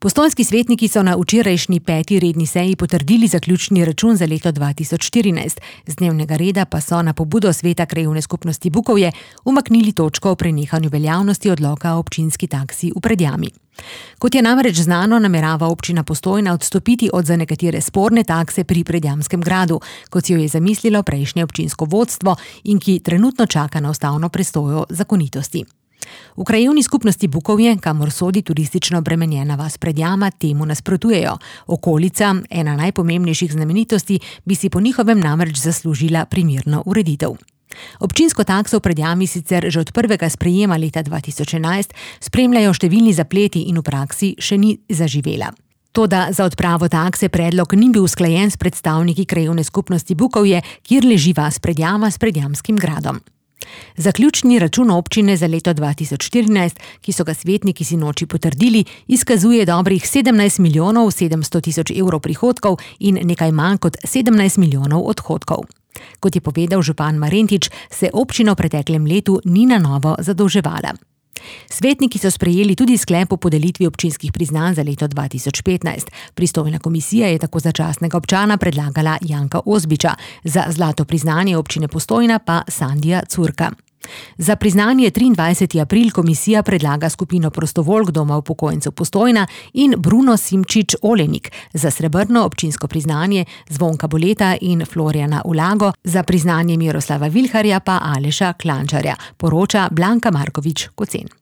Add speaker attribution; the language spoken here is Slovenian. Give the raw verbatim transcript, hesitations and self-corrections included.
Speaker 1: Postojnski svetniki so na včerajšnji peti redni seji potrdili zaključni račun za leto dva tisoč štirinajst. Z dnevnega reda pa so na pobudo sveta krajevne skupnosti Bukovje umaknili točko o prenehanju veljavnosti odloka o občinski taksi v Predjami. Kot je namreč znano, namerava občina Postojna odstopiti od za nekatere sporne takse pri Predjamskem gradu, kot si jo je zamislilo prejšnje občinsko vodstvo in ki trenutno čaka na ustavno presojo zakonitosti. V krajevni skupnosti Bukovje, kamor sodi turistično obremenjena vas Predjama, temu nasprotujejo. Okolica, ena najpomembnejših znamenitosti, bi si po njihovem namreč zaslužila primerno ureditev. Občinsko takso v Predjami sicer že od prvega sprejema leta dva tisoč enajst spremljajo številni zapleti in v praksi še ni zaživela. Toda za odpravo takse predlog ni bil usklajen s predstavniki krajevne skupnosti Bukovje, kjer leži vas Predjama s Predjamskim gradom. Zaključni račun občine za leto dva tisoč štirinajst, ki so ga svetniki sinoči potrdili, izkazuje dobrih sedemnajst milijonov sedemsto tisoč evrov prihodkov in nekaj manj kot sedemnajst milijonov odhodkov. Kot je povedal župan Marentič, se občina v preteklem letu ni na novo zadolževala. Svetniki so sprejeli tudi sklep o podelitvi občinskih priznanj za leto dva tisoč petnajst. Pristojna komisija je tako začasnega občana predlagala Janka Ozbiča, za zlato priznanje občine Postojna pa Sandija Curka. Za priznanje triindvajseti april komisija predlaga skupino Prostovoljk Doma upokojencev Postojna in Bruno Simčič Olenik, za srebrno občinsko priznanje Zvonka Boleta in Florjana Ulago, za priznanje Miroslava Vilharja pa Aleša Klančarja, poroča Blanka Markovič Kocen.